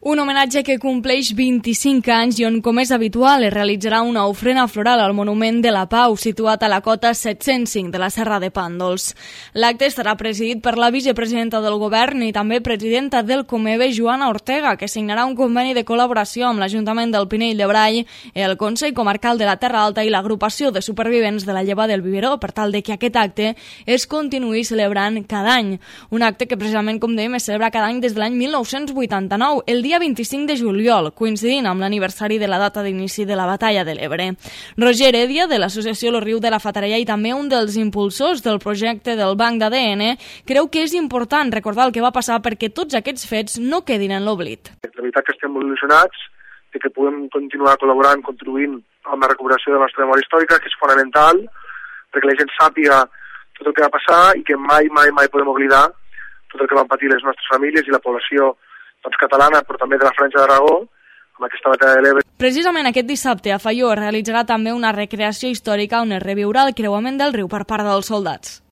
Un homenatge que compleix 25 anys i on, com és habitual, es realitzarà una ofrena floral al Monument de la Pau, situat a la cota 705 de la Serra de Pàndols. L'acte estarà presidit per la vicepresidenta del Govern i també presidenta del Comeve, Joana Ortega, que signarà un conveni de col·laboració amb l'Ajuntament del Pinell de Brai, el Consell Comarcal de la Terra Alta i l'Agrupació de Supervivents de la Lleva del Viveró, per tal de que aquest acte es continuï celebrant cada any. Un acte que precisament, com dèiem, es celebra cada any des de l'any 1989, el dia 25 de juliol, coincidint amb l'aniversari de la data d'inici de la Batalla de l'Ebre. Roger Heredia, de l'associació Lo Riu de la Fatarella i també un dels impulsors del projecte del Banc d'ADN, creu que és important recordar el que va passar perquè tots aquests fets no quedin en l'oblit. La veritat que estem molt il·lusionats de que puguem continuar col·laborant, contribuint amb la recuperació de la nostra memòria històrica, que és fonamental perquè la gent sàpiga tot el que va passar i que mai podem oblidar tot el que van patir les nostres famílies i la població catalana, però també de la Franja d'Aragó, amb aquesta batalla de l'Ebre. Precisament aquest dissabte a Faió es realitzarà també una recreació històrica on es reviurà el creuament del riu per part dels soldats.